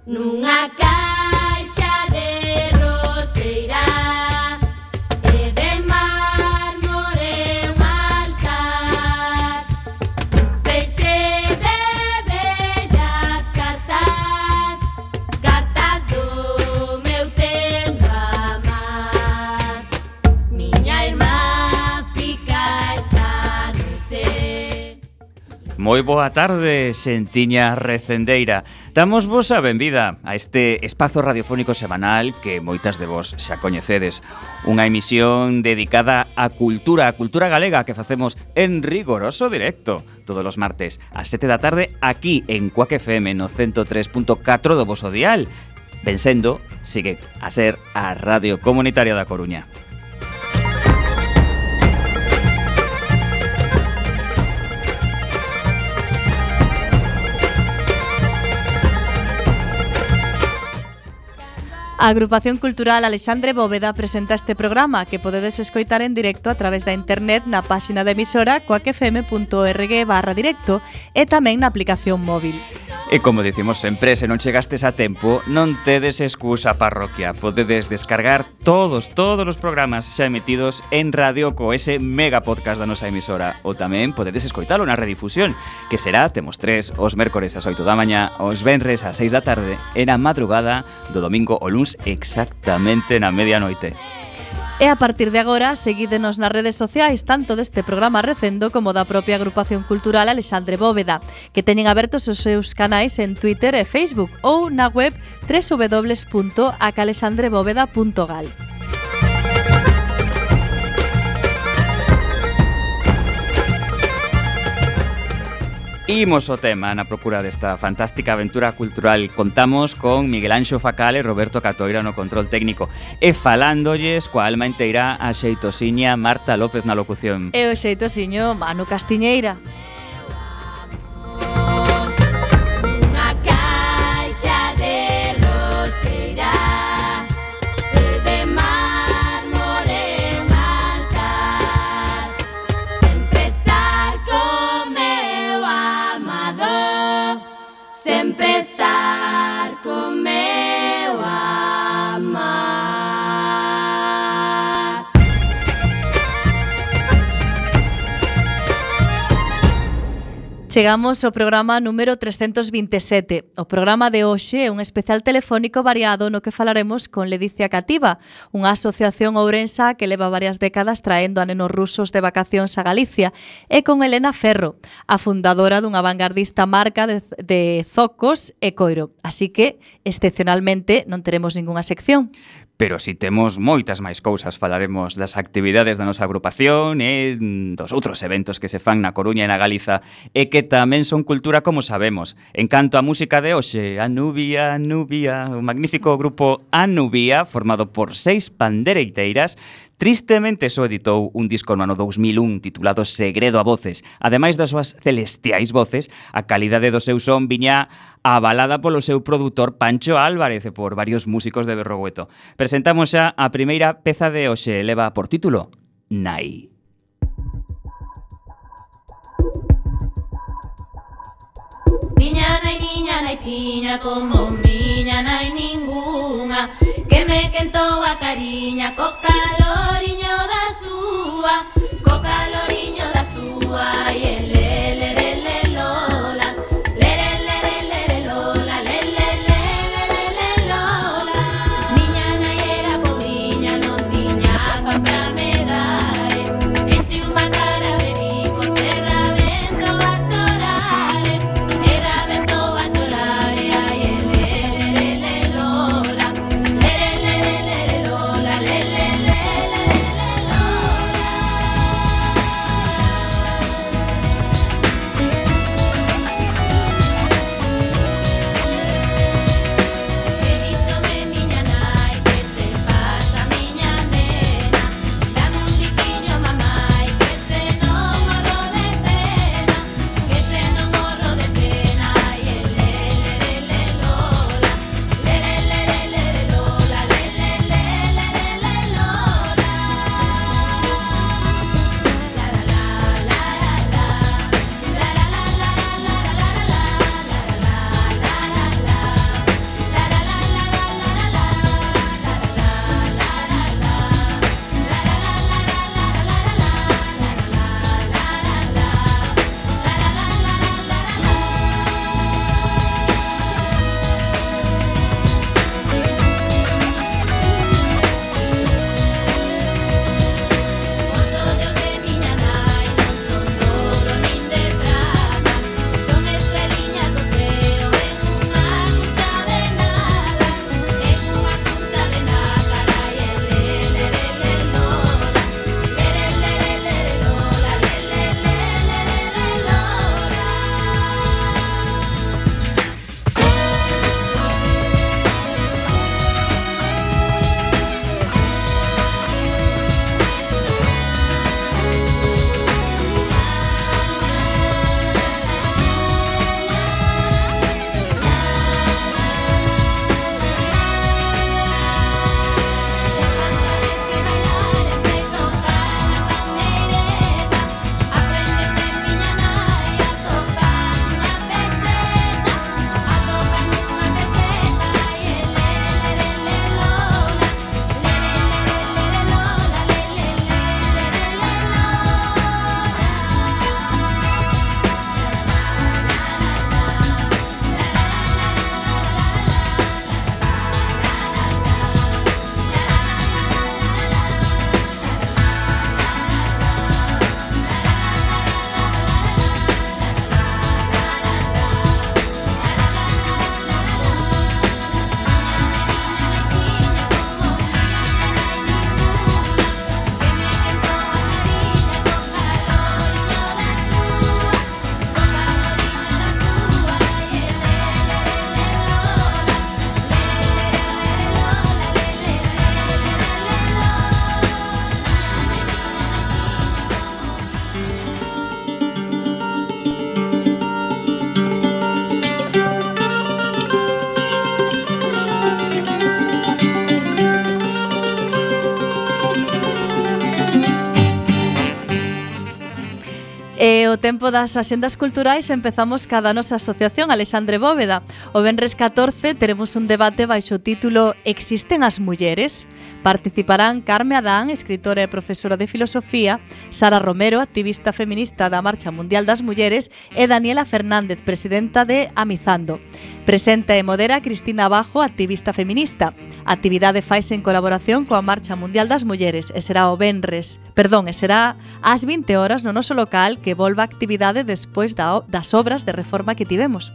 Nunha caixa de roseira e de mármore un altar, un feixe de bellas cartas, cartas do meu tempo a amar. Miña irmá fica esta noite. Moi boa tarde, xentiña recendeira. Damos vos a benvida a este espazo radiofónico semanal que moitas de vos xa coñecedes. Unha emisión dedicada á cultura galega que facemos en rigoroso directo todos os martes ás 7 da tarde aquí en Cuac FM no 103.4 do voso dial. Ben sendo, sigue a ser a Radio Comunitaria da Coruña. A Agrupación Cultural Alexandre Bóveda presenta este programa que podedes escoitar en directo a través da internet na páxina de emisora coacfm.org/directo e tamén na aplicación móvil. E como dicimos sempre, se non chegastes a tempo, non tedes excusa parroquia. Podedes descargar todos os programas xa emitidos en radio co ese mega podcast da nosa emisora. Ou tamén podedes escoitalo na redifusión, que será, temos tres, os mércores ás 8 da mañá, os venres ás 6 da tarde e na madrugada do domingo o luns exactamente na medianoite. E a partir de agora, seguídenos nas redes sociais tanto deste programa Recendo como da propia Agrupación Cultural Alexandre Bóveda, que teñen abertos os seus canais en Twitter e Facebook ou na web www.acalexandrebóveda.gal. Imos o tema na procura desta fantástica aventura cultural. Contamos con Miguel Anxo Facal e Roberto Catoira no control técnico e falándolles coa alma inteira a xeitosiña Marta López na locución. E o xeitosiño Manu Castiñeira. Sempre estar con meu amar. Chegamos ao programa número 327. O programa de hoxe é un especial telefónico variado no que falaremos con Ledicia Cativa, unha asociación ourensa que leva varias décadas traendo a nenos rusos de vacacións a Galicia, e con Elena Ferro, a fundadora dunha vanguardista marca de zocos e coiro. Así que, excepcionalmente, non teremos ningunha sección. Pero si temos moitas máis cousas, falaremos das actividades da nosa agrupación e dos outros eventos que se fan na Coruña e na Galiza e que tamén son cultura como sabemos. En canto á música de hoxe, Anubia, o magnífico grupo Anubia, formado por 6 pandereiteiras, tristemente só editou un disco no ano 2001 titulado Segredo a Voces. Ademais das súas celestiais voces, a calidade do seu son viña avalada polo seu produtor Pancho Álvarez e por varios músicos de Berrogueto. Presentamos xa a primeira peza de hoxe, leva por título Nai. Miña nai piña como miña nai ningunha, que me quentou a cariña co caloriño da súa, e el le lola, le lola, le lola. Miña nai era pobriña, non tiña pa me dar, enche unha cara de bico, se rabento a chorar, ai le lola, le lola, le lola. E o tempo das axendas culturais empezamos cada nosa asociación Alexandre Bóveda. O venres 14 teremos un debate baixo o título Existen as mulleres? Participarán Carme Adán, escritora e profesora de filosofía, Sara Romero, activista feminista da Marcha Mundial das Mulleres, e Daniela Fernández, presidenta de Amizando. Presenta e modera Cristina Abajo, activista feminista. A actividade faise en colaboración coa Marcha Mundial das Mulleres e será ás 20 horas no noso local que volva a actividade despois das obras de reforma que tivemos.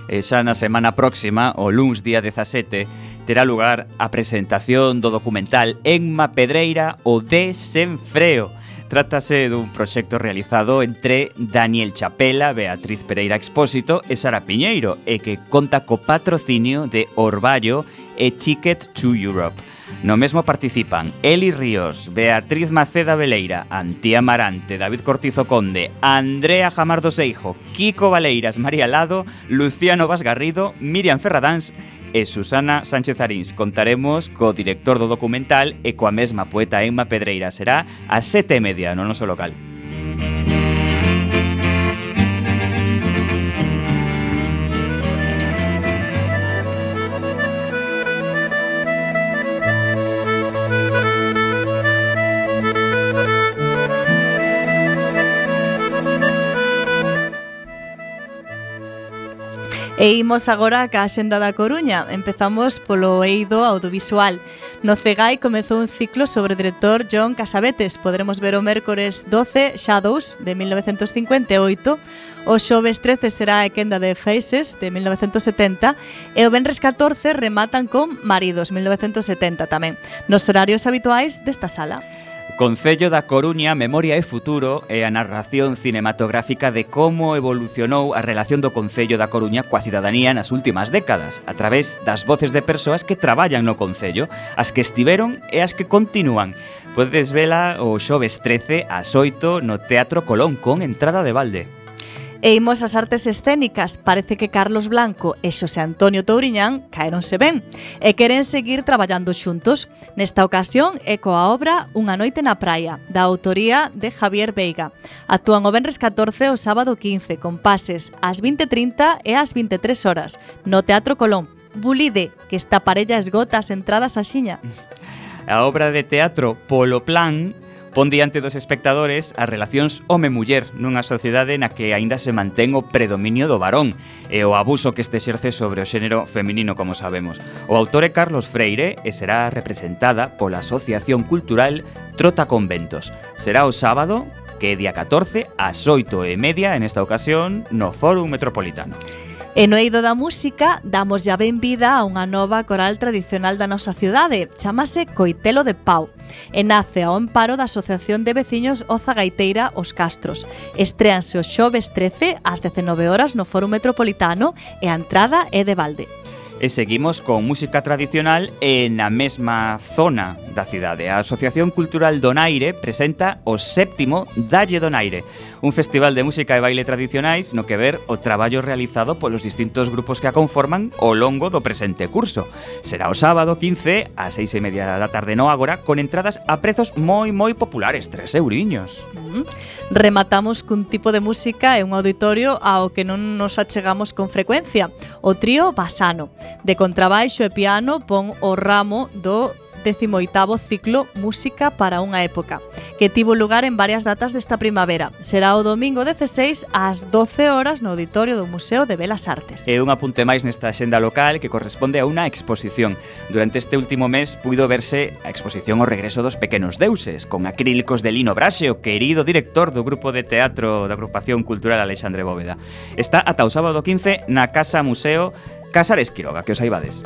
E xa na semana próxima, o luns día 17, terá lugar a presentación do documental Enma Pedreira, o Desenfreo. Trátase dun proxecto realizado entre Daniel Chapela, Beatriz Pereira Expósito e Sara Piñeiro e que conta co patrocinio de Orballo e Ticket to Europe. No mesmo participan Eli Ríos, Beatriz Maceda Veleira, Antía Marante, David Cortizo Conde, Andrea Jamardo Seijo, Kiko Valeiras, María Lado, Luciano Vaz Garrido, Miriam Ferradáns e Susana Sánchez Arins. Contaremos co director do documental e coa mesma poeta Enma Pedreira. Será ás 7:30 no noso local. E imos agora ca Axenda da Coruña. Empezamos polo eido audiovisual. No CEGAI comezou un ciclo sobre o director John Cassavetes. Podremos ver o mércores 12 Shadows, de 1958. O xoves 13 será a quenda de Faces, de 1970. E o venres 14 rematan con Maridos, 1970 tamén. Nos horarios habituais desta sala. Concello da Coruña, Memoria e Futuro é a narración cinematográfica de como evolucionou a relación do Concello da Coruña coa cidadanía nas últimas décadas, a través das voces de persoas que traballan no Concello, as que estiveron e as que continúan. Podedes vela o xoves 13 ás 8 no Teatro Colón con entrada de balde. E imos ás artes escénicas. Parece que Carlos Blanco e Xosé Antonio Touriñán caéronse ben e queren seguir traballando xuntos. Nesta ocasión é coa obra Unha noite na praia, da autoría de Javier Veiga. Actúan o venres 14 e o sábado 15, con pases ás 20:30 e ás 23 horas, no Teatro Colón. Bulide, que esta parella esgota as entradas axiña. A obra de teatro Polo Plan pon diante dos espectadores as relacións home-muller nunha sociedade na que aínda se mantén o predominio do varón e o abuso que este exerce sobre o xénero feminino, como sabemos. O autor é Carlos Freire e será representada pola Asociación Cultural Trota Conventos. Será o sábado, que é día 14, ás 8:30, en esta ocasión, no Fórum Metropolitano. E no eido da música damos ya benvida a unha nova coral tradicional da nosa cidade, chamase Coitelo de Pau, e nace ao amparo da Asociación de Veciños Oza Gaiteira Os Castros. Estréanse o xoves 13 ás 19 horas no Fórum Metropolitano e a entrada é de balde. E seguimos con música tradicional e na mesma zona da cidade. A Asociación Cultural Donaire presenta o 7º Dalle Donaire, un festival de música e baile tradicionais no que ver o traballo realizado polos distintos grupos que a conforman ao longo do presente curso. Será o sábado 15 ás 6:30 da tarde no Ágora, con entradas a prezos moi populares, 3 euriños. Rematamos cun tipo de música e un auditorio ao que non nos achegamos con frecuencia, o trío Basano. De contrabaixo e piano pon o ramo do 18º ciclo Música para unha época, que tivo lugar en varias datas desta primavera. Será o domingo 16 ás 12 horas no auditorio do Museo de Belas Artes. E un apunte máis nesta axenda local que corresponde a unha exposición. Durante este último mes puido verse a exposición O regreso dos pequenos deuses, con acrílicos de Lino Braxe, o querido director do grupo de teatro da Agrupación Cultural Alexandre Bóveda. Está ata o sábado 15 na Casa Museo Casares Quiroga, que os saibades.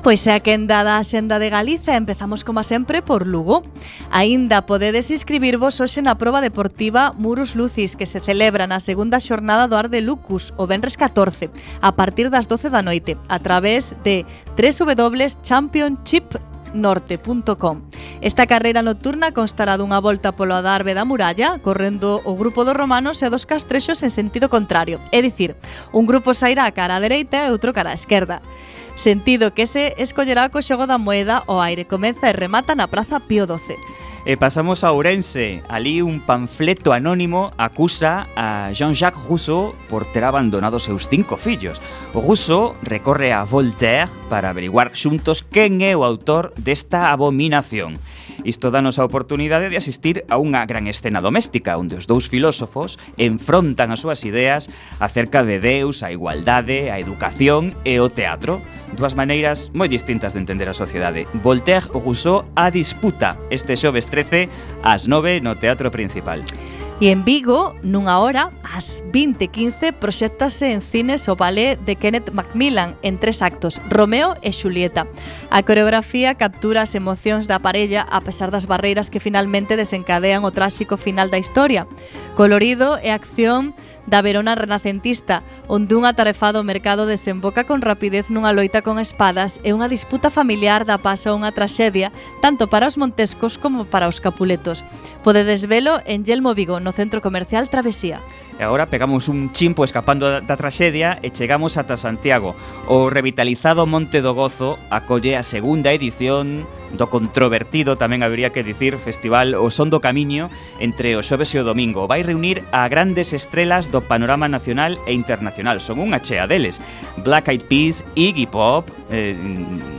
Pois é a quenda da Axenda de Galiza. Empezamos como sempre por Lugo. Aínda podedes inscribirvos hoxe na proba deportiva Murus Lucis, que se celebra na segunda xornada do Ar de Lucus, o venres 14, a partir das 12 da noite, a través de www.championship.com norte.com. Esta carreira nocturna constará dunha volta polo adarve da muralla, correndo o grupo dos romanos e dos castrexos en sentido contrario. É dicir, un grupo sairá cara á dereita e outro cara á esquerda. Sentido que se escollerá co xogo da moeda, o aire comeza e remata na Praza Pío XII. E pasamos a Ourense. Ali un panfleto anónimo acusa a Jean-Jacques Rousseau por ter abandonado seus 5 fillos. O Rousseau recorre a Voltaire para averiguar xuntos quen é o autor desta abominación. Isto danos a oportunidade de asistir a unha gran escena doméstica onde os dous filósofos enfrontan as súas ideas acerca de Deus, a igualdade, a educación e o teatro. Dúas maneiras moi distintas de entender a sociedade. Voltaire e Rousseau a disputa este xoves 13 ás 9 no Teatro Principal. E en Vigo, nunha hora, ás 20:15, proxéctase en cines o ballet de Kenneth Macmillan en 3 actos, Romeo e Xulieta. A coreografía captura as emocións da parella a pesar das barreiras que finalmente desencadean o tráxico final da historia. Colorido e acción da Verona renacentista, onde un atarefado mercado desemboca con rapidez nunha loita con espadas e unha disputa familiar dá paso a unha traxedia tanto para os montescos como para os capuletos. Podedes velo en Yelmo Vigo, no Centro Comercial Travesía. E agora pegamos un chimpo escapando da traxedia e chegamos ata Santiago. O revitalizado Monte do Gozo acolle a segunda edición do controvertido, tamén habería que dicir, festival O Son do Camiño entre o xoves e o domingo. Vai reunir a grandes estrelas do panorama nacional e internacional. Son unha chea deles. Black Eyed Peas, Iggy Pop,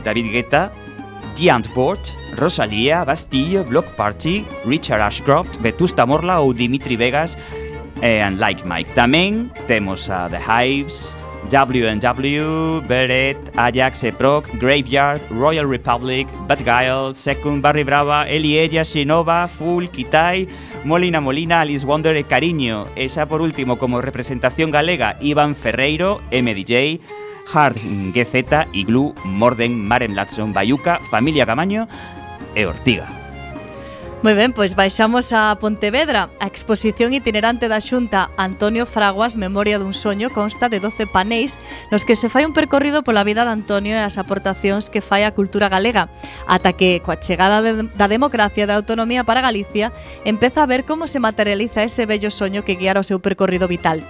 David Guetta, The Antwoord, Rosalía, Bastille, Block Party, Richard Ashcroft, Vetusta Morla ou Dimitri Vegas and Like Mike. Tamén temos a The Hives, W&W, Beret, Ajax, Proc, Graveyard, Royal Republic, Bad Guile, Second, Barry Brava, Eli Ella, Xenova, Full, Kitai, Molina Molina, Alice Wonder e Cariño. E xa por último, como representación galega, Iván Ferreiro, MDJ, Hard GZ, Iglú, Morden, Maren Latson, Bayuca, Familia Camaño e Ortiga. Moi ben, pois baixamos a Pontevedra. A exposición itinerante da Xunta Antonio Fraguas, Memoria dun soño, consta de 12 paneis nos que se fai un percorrido pola vida de Antonio e as aportacións que fai á cultura galega, ata que, coa chegada da democracia e da autonomía para Galicia, empeza a ver como se materializa ese bello soño que guiara o seu percorrido vital.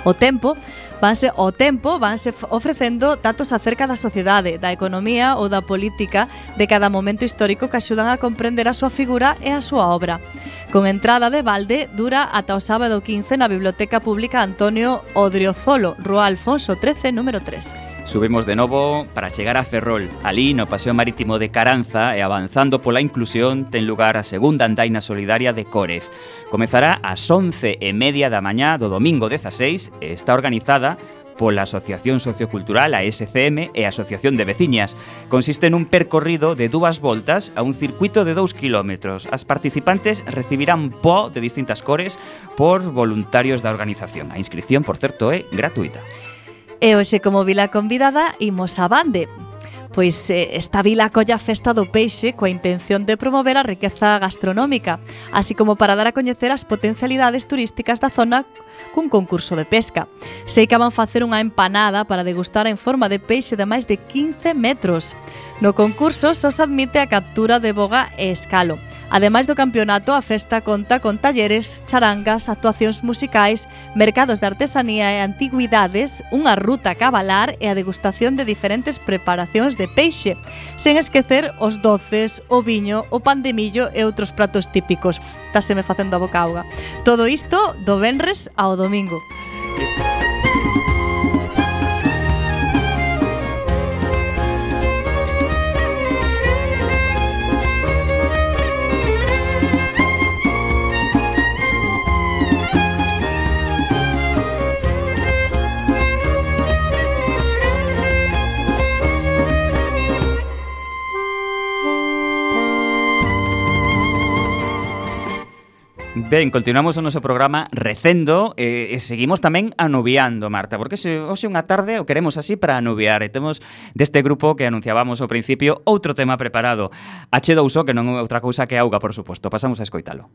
O tempo vanse ofrecendo datos acerca da sociedade, da economía ou da política de cada momento histórico que axudan a comprender a súa figura e a súa obra. Con entrada de balde, dura ata o sábado 15 na Biblioteca Pública Antonio Odriozolo, Rúa Alfonso 13, número 3. Subimos de novo para chegar a Ferrol. Ali, no Paseo Marítimo de Caranza e avanzando pola inclusión, ten lugar a segunda andaina solidaria de Cores. Comezará ás 11:30 da mañá do domingo 16 e está organizada pola Asociación Sociocultural, a SCM, e a Asociación de Veciñas. Consiste nun percorrido de 2 voltas a un circuito de 2 kilómetros. As participantes recibirán po de distintas cores por voluntarios da organización. A inscripción, por certo, é gratuita. E hoxe, como vila convidada, imos a Bande. Pois esta vila acolle a Festa do Peixe coa intención de promover a riqueza gastronómica, así como para dar a coñecer as potencialidades turísticas da zona cun concurso de pesca. Sei que van facer unha empanada para degustar en forma de peixe de máis de 15 metros. No concurso só se admite a captura de boga e escalo. Ademais do campeonato, a festa conta con talleres, charangas, actuacións musicais, mercados de artesanía e antigüidades, unha ruta a cabalar e a degustación de diferentes preparacións de peixe, sen esquecer os doces, o viño, o pan de millo e outros pratos típicos. Táseme facendo a boca auga. Todo isto do venres ao domingo. Ben, continuamos o noso programa recendo e seguimos tamén anubiando, Marta, porque hoxe unha tarde o queremos así para anubiar e temos deste grupo que anunciábamos ao principio outro tema preparado. H2O, que non é outra cousa que auga, por suposto. Pasamos a escoitalo.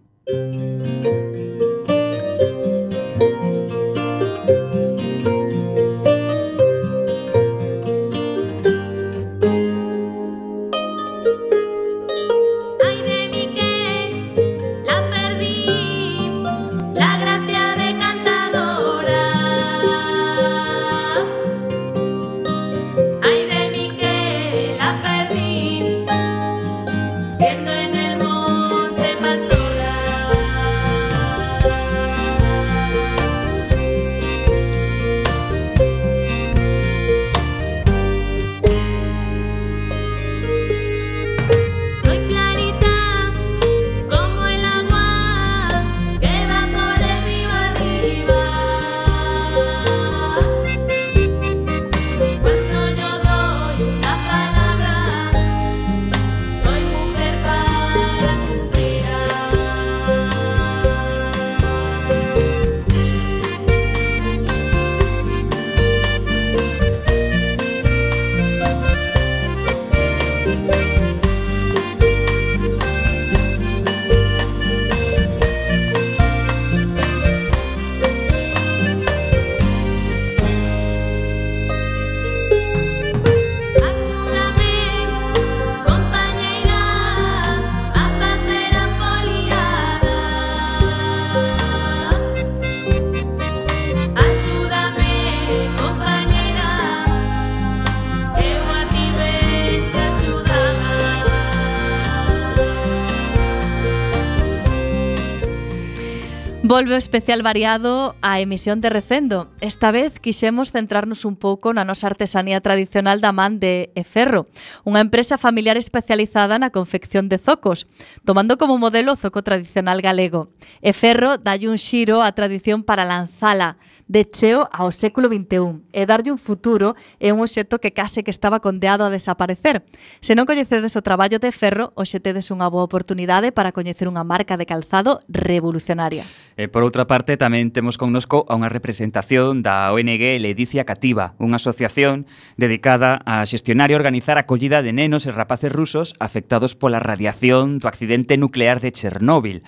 Volve o especial variado á emisión de Recendo. Esta vez quixemos centrarnos un pouco na nosa artesanía tradicional da man de Eferro, unha empresa familiar especializada na confección de zocos, tomando como modelo o zoco tradicional galego. Eferro dalle un xiro á tradición para lanzala de cheo ao século XXI e darlle un futuro é un obxecto que case que estaba condeado a desaparecer. Se non coñecedes o traballo de Ferro, hoxe tedes unha boa oportunidade para coñecer unha marca de calzado revolucionaria. E por outra parte, tamén temos connosco a unha representación da ONG Ledicia Cativa, unha asociación dedicada a xestionar e organizar a acollida de nenos e rapaces rusos afectados pola radiación do accidente nuclear de Chernóbil.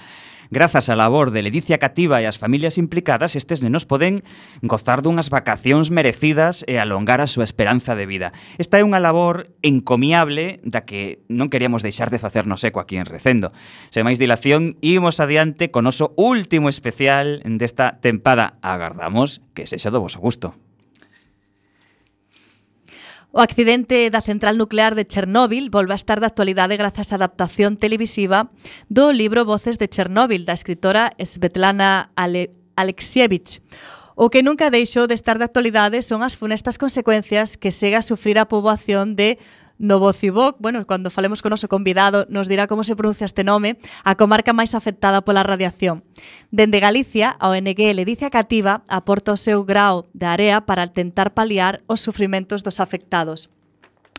Grazas á labor de Ledicia Cativa e as familias implicadas, estes nenos poden gozar dunhas vacacións merecidas e alongar a súa esperanza de vida. Esta é unha labor encomiable da que non queríamos deixar de facernos eco aquí en Recendo. Sen máis dilación, imos adiante con o noso último especial desta tempada. Agardamos que sexa do voso gusto. O accidente da central nuclear de Chernóbil volve a estar de actualidade grazas á adaptación televisiva do libro Voces de Chernóbil, da escritora Svetlana Alexievich. O que nunca deixou de estar de actualidade son as funestas consecuencias que segue a sufrir a poboación de Novosibirsk. Bueno, cando falemos con o noso convidado nos dirá como se pronuncia este nome, a comarca máis afectada pola radiación. Dende Galicia, a ONG Ledicia Cativa aporta o seu grao de area para tentar paliar os sufrimentos dos afectados.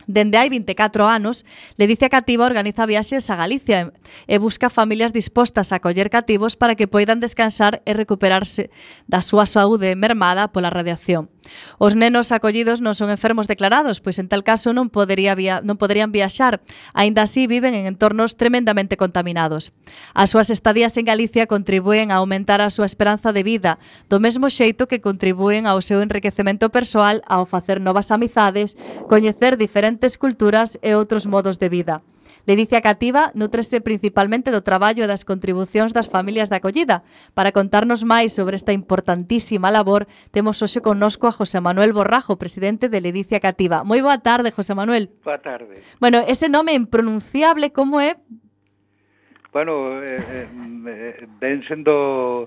Dende hai 24 anos, Ledicia Cativa organiza viaxes a Galicia e busca familias dispostas a acoller cativos para que poidan descansar e recuperarse da súa saúde mermada pola radiación. Os nenos acollidos non son enfermos declarados, pois en tal caso non poderían viaxar, aínda así viven en entornos tremendamente contaminados. As súas estadías en Galicia contribúen a aumentar a súa esperanza de vida, do mesmo xeito que contribúen ao seu enriquecemento persoal ao facer novas amizades, coñecer diferentes culturas e outros modos de vida. Ledicia Cativa nutrese principalmente do traballo e das contribucións das familias de acollida. Para contarnos máis sobre esta importantísima labor, temos hoxe connosco a José Manuel Borrajo, presidente de Ledicia Cativa. Moi boa tarde, José Manuel. Boa tarde. Bueno, ese nome impronunciable, como é? Bueno, ven sendo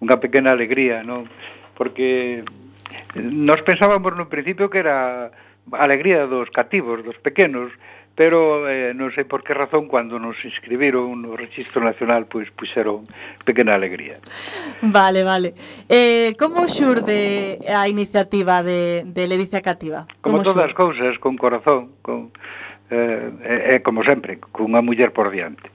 unha pequena alegría, non? Porque nós pensábamos no principio que era a alegría dos cativos, dos pequenos, pero non sei por que razón cando nos inscribiron no Rexistro Nacional pois puxeron pequena alegría. Vale. Como xurde a iniciativa de Ledicia Cativa? Como todas as cousas, con corazón, como sempre, cunha muller por diante.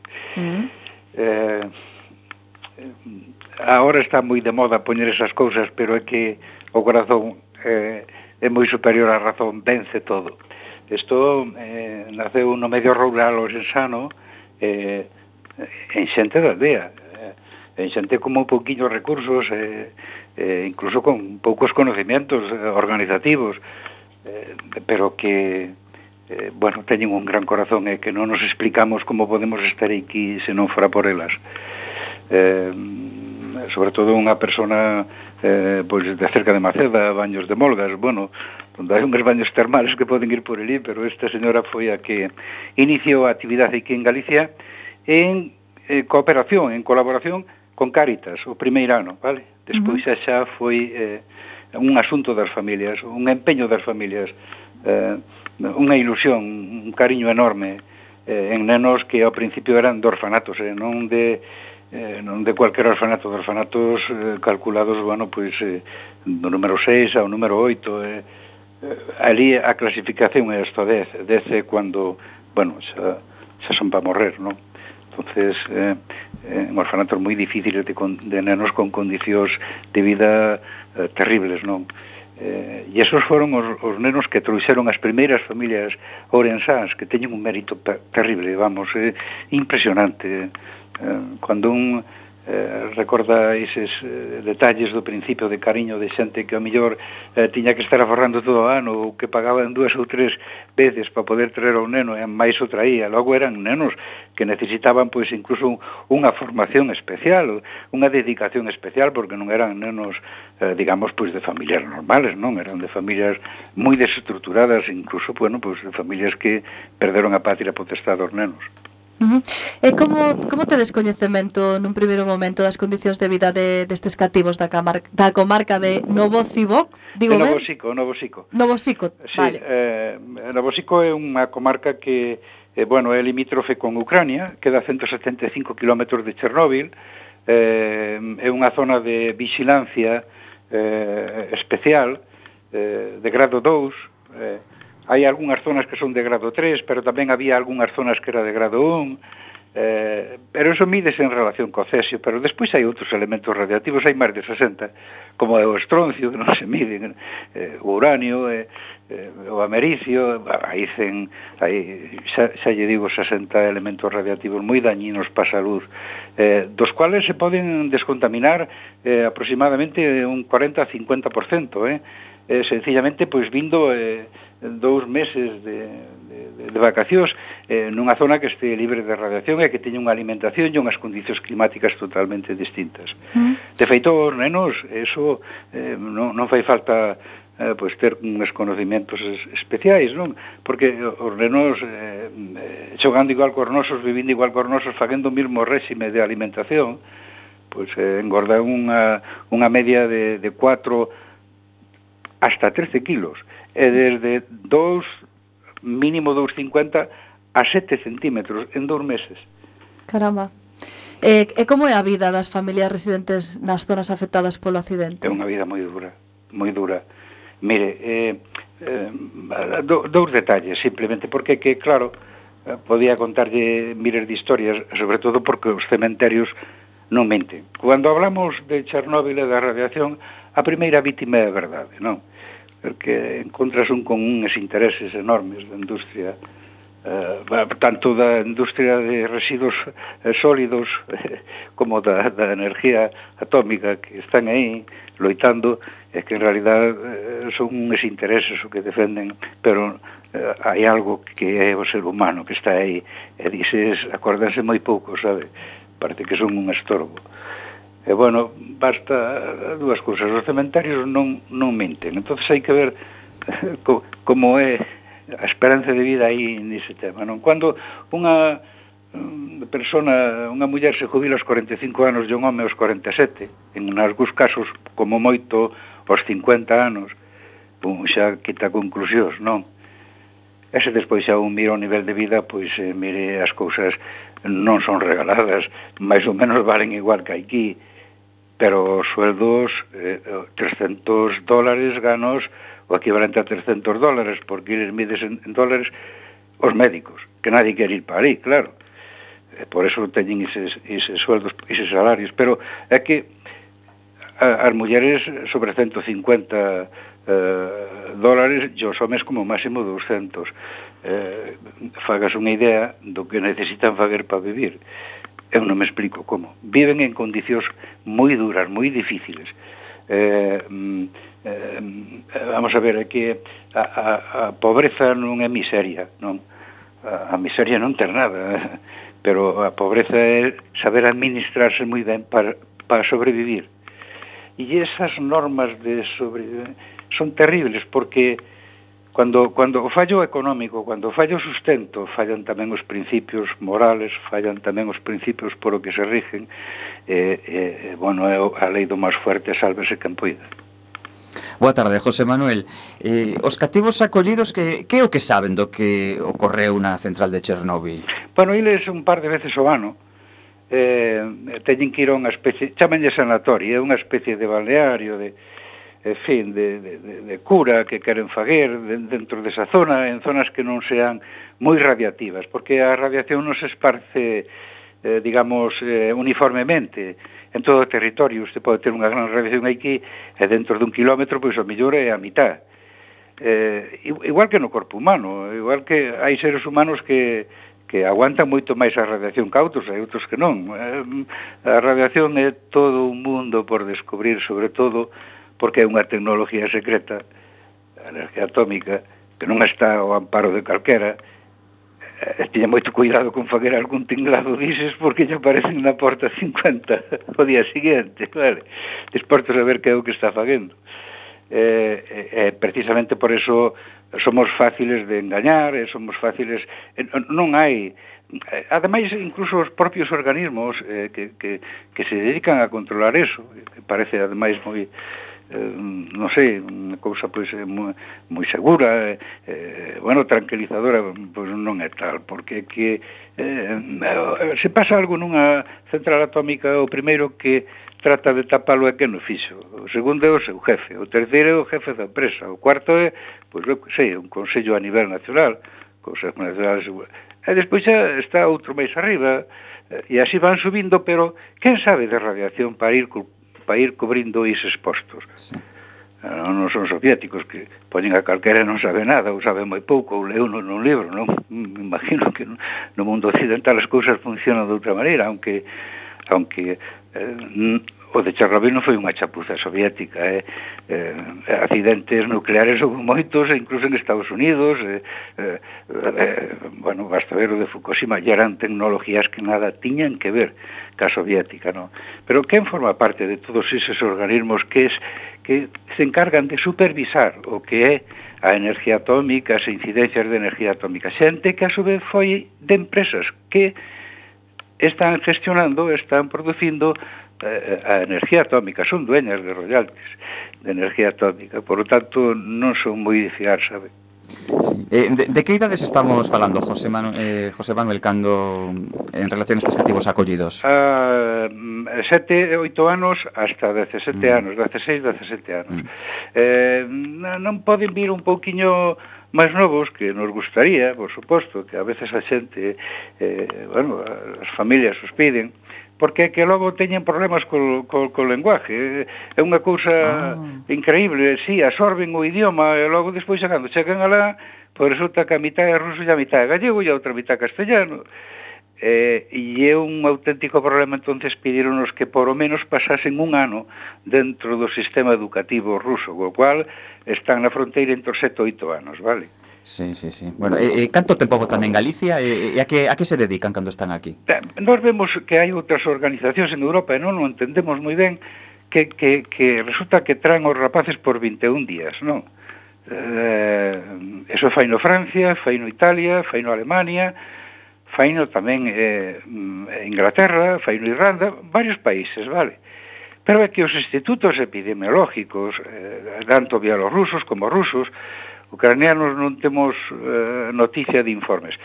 Ahora está moi de moda poñer esas cousas, pero é que o corazón é moi superior á razón, vence todo. Isto naceu no medio rural ourensano en xente da aldea, en xente con moi pouquiños recursos, incluso con poucos conocimientos organizativos, pero que, bueno, teñen un gran corazón e que non nos explicamos como podemos estar aquí se non fora por elas. Sobre todo unha persona pois de cerca de Maceda, Baños de Molgas, bueno, onde hai unhos baños termales que poden ir por ali, pero esta señora foi a que iniciou a actividade aquí en Galicia en cooperación, en colaboración con Cáritas, o primeiro ano, vale? Despois xa foi un asunto das familias, un empeño das familias, unha ilusión, un cariño enorme en nenos que ao principio eran de orfanatos, non de cualquier orfanato, de orfanatos calculados, bueno, pois do número 6 ao número 8, ali a clasificación é hasta 10 é cuando, bueno, xa son para morrer, non? Entonces, en orfanatos moi difíciles de nenos con condicións de vida terribles, non? E esos foron os nenos que trouxeron as primeiras familias ourensáns, que teñen un mérito terrible, vamos, impresionante. Cando un recorda eses detalles do principio de cariño de xente que ao mellor tiña que estar aforrando todo o ano ou que pagaban 2 ou 3 veces para poder traer ao neno e máis o traía, logo eran nenos que necesitaban pois incluso unha formación especial, unha dedicación especial, porque non eran nenos digamos pois de familias normales, non, eran de familias moi desestructuradas, incluso, bueno, pois de familias que perderon a patria potestad dos nenos. E como tedes coñecemento nun primeiro momento das condicións de vida destes cativos da comarca de Novosico? Digo de ben? Novosico. Novosico, Sí, vale. Novosico é unha comarca que é limítrofe con Ucrania, queda a 175 km de Chernóbil, é unha zona de vigilancia especial, de grado 2, hai algunhas zonas que son de grado 3, pero tamén había algunhas zonas que era de grado 1, pero eso mídese en relación co cesio, pero despois hai outros elementos radiactivos, hai máis de 60, como é o estroncio, que non se miden, o uranio, o americio, xa lle digo 60 elementos radiactivos moi dañinos para a salud, dos cuales se poden descontaminar aproximadamente un 40-50%, sencillamente pois vindo 2 meses de vacacións nunha zona que este libre de radiación e que teña unha alimentación e unhas condicións climáticas totalmente distintas. De feito, os nenos, eso non fai falta pois ter uns conocimientos especiais, non? Porque os nenos xogando igual cos nosos, vivindo igual cos nosos, facendo o mesmo réxime de alimentación, pois engordan unha media de 4 hasta 13 kilos, e desde mínimo 2,50 a 7 centímetros en 2 meses. Caramba. E como é a vida das familias residentes nas zonas afectadas polo accidente? É unha vida moi dura, moi dura. Mire, dous detalles, simplemente, porque que, claro, podía contarlle miles de historias, sobre todo porque os cementerios non menten. Cando hablamos de Chernóbil e da radiación, a primeira vítima é a verdade, non? Porque encontras con uns intereses enormes da industria, tanto da industria de residuos sólidos como da energía atómica que están aí loitando, e que en realidad son uns intereses o que defenden, pero hai algo que é o ser humano que está aí, e dices, acordanse moi pouco, sabe? Parece que son un estorbo. E, basta dúas cousas. Os cementerios non menten. Entón, hai que ver como é a esperanza de vida aí nese tema, non? Cando unha persona, unha muller se jubila aos 45 anos e un home aos 47, en algúns casos, como moito, aos 50 anos, xa quita conclusións, non? E se despois xa un mira o nivel de vida, pois mire, as cousas non son regaladas, máis ou menos valen igual que aquí, pero os sueldos, $300 ganos o equivalente a $300, porque eles mides en dólares os médicos, que nadie quer ir para aí, claro. Por eso teñen eses sueldos, eses salarios, pero é que as mulleres sobre 150 dólares e os homes como máximo 200. Fagas unha idea do que necesitan fager para vivir. Eu non me explico como. Viven en condicións moi duras, moi difíciles. Vamos a ver, é que a pobreza non é miseria, non? A miseria non ter nada, pero a pobreza é saber administrarse moi ben para sobrevivir. E esas normas de sobrevivencia son terribles, porque Cando o fallo económico, cando o fallo sustento, fallan tamén os principios morales, fallan tamén os principios por o que se rigen, é a lei do máis fuerte, sálvese quen poida. Boa tarde, José Manuel. Os cativos acollidos, que é o que saben do que ocorreu na central de Chernóbil? Iles un par de veces ao ano teñen que ir a unha especie, chámanlle sanatorio, é unha especie de balneario, de cura que queren faguer dentro desa zona, en zonas que non sean moi radiativas, porque a radiación non se esparce, uniformemente en todo o territorio. Usted pode ter unha gran radiación aquí, e dentro dun kilómetro, pois o mellor é a mitad. Igual que no corpo humano, igual que hai seres humanos que aguantan moito máis a radiación que outros, hai outros que non. A radiación é todo un mundo por descubrir, sobre todo porque é unha tecnología secreta, a energía atómica, que non está ao amparo de calquera. Tiña moito cuidado con faguer algún tinglado dices, porque lle aparecen na porta 50 o día seguinte, vale? Desporto saber que é o que está faguendo. precisamente por eso somos fáciles de engañar, somos fáciles... non hai... Ademais, incluso os propios organismos que se dedican a controlar eso, que parece ademais moi... non sei, unha cousa pois moi segura, bueno, tranquilizadora, pois non é tal, porque que se pasa algo nunha central atómica, o primeiro que trata de tapalo é que non fixo, o segundo é o seu jefe, o terceiro é o jefe da empresa, o cuarto é, pois, eu sei, un consello a nivel nacional, Consejo Nacional de Seguridade, e despois xa está outro máis arriba, e así van subindo, pero quen sabe de radiación para ir cubrindo eses postos? Sí. Non son soviéticos que poñen a calquera e non sabe nada, ou sabe moi pouco, ou leu nun libro, non? Me imagino que no mundo occidental as cousas funcionan de outra maneira, aunque o de Chernobyl non foi unha chapuza soviética, accidentes nucleares houve moitos, incluso en Estados Unidos, bueno, basta ver o de Fukushima, ya eran tecnologías que nada tiñan que ver ca soviética, non? Pero quen forma parte de todos eses organismos que se encargan de supervisar o que é a energía atómica, as incidencias de energía atómica? Xente que a su vez foi de empresas que están gestionando, están producindo a energía atómica, son dueñas de royalties de energía atómica, por lo tanto non son moi de fiar, sabe? Sí. De que idades estamos falando, José Manuel, cando en relación a estes cativos acollidos? 7, 8 anos hasta 17 anos, 16, 17 anos. Non poden vir un pouquiño máis novos, que nos gustaría, por suposto, que a veces a xente, bueno, as familias os piden, porque que logo teñen problemas co lenguaje. É unha cousa increíble, sí, absorben o idioma, e logo despois, cando chegan alá, pois resulta que a mitad é ruso e a mitad é gallego e a outra mitad castellano. E é un auténtico problema, entonces pidíronos que por o menos pasasen un ano dentro do sistema educativo ruso, co cual están na fronteira entre os 7 e 8 anos, vale? Sí. Bueno, canto tempo botan en Galicia e a que se dedican cando están aquí? Nós vemos que hai outras organizacións en Europa e non o entendemos moi ben que resulta que traen os rapaces por 21 días, non? Eso fai no Francia, fai no Italia, fai no Alemania, fai no tamén Inglaterra, fai no Irlanda, varios países, vale? Pero é que os institutos epidemiológicos, tanto bielorrusos como rusos, ucranianos non temos noticia de informes.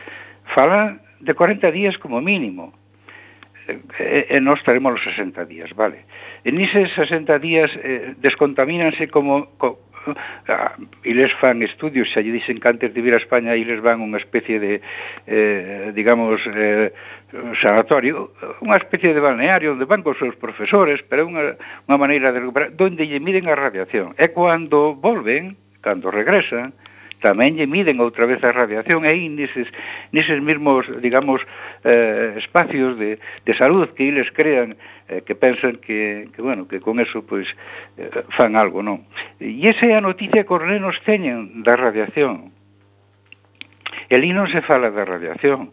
Falan de 40 días como mínimo. E nós estaremos os 60 días, vale? En eses 60 días descontamínanse como... Eles fan estudios, xa lle dixen que antes de vir a España eles van unha especie de, digamos, sanatorio, unha especie de balneario onde van cos seus profesores, pero é unha maneira de recuperar, donde lle miden a radiación. E cando volven, cando regresan, tamén lle miden outra vez a radiación, e aí neses mesmos, digamos, espacios de salud que eles crean, que pensan que bueno, que con eso, pois, fan algo, non? E esa é a noticia que os nenos teñen da radiación. E ali non se fala da radiación.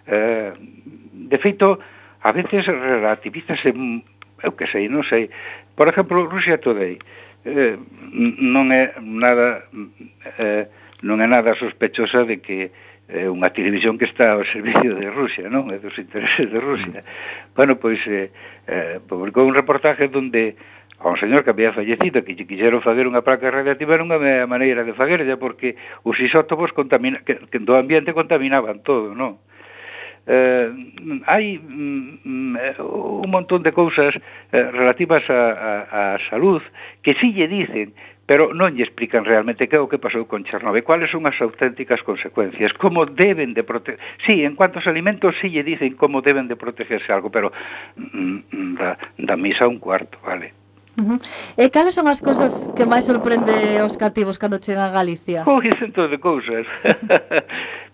De feito, a veces relativízase, eu que sei, non sei. Por exemplo, Russia Today non é nada sospechosa de que unha televisión que está ao servicio de Rusia, non? É dos intereses de Rusia. Bueno, pois publicou un reportaje donde a un señor que había fallecido, que quixeron fazer unha placa radiativa, non había maneira de fagerlla, porque os isótopos que do ambiente contaminaban todo, non? Hai un montón de cousas relativas á salud que sí lle dicen, pero non lle explican realmente que é o que pasou con Chernobyl, cuáles son as auténticas consecuencias, como deben de proteger... Sí, en cuanto aos alimentos sí lle dicen como deben de protegerse algo, pero da misa un cuarto, vale? E cales son as cousas que máis sorprende os cativos cando chegan a Galicia? Centos de cousas.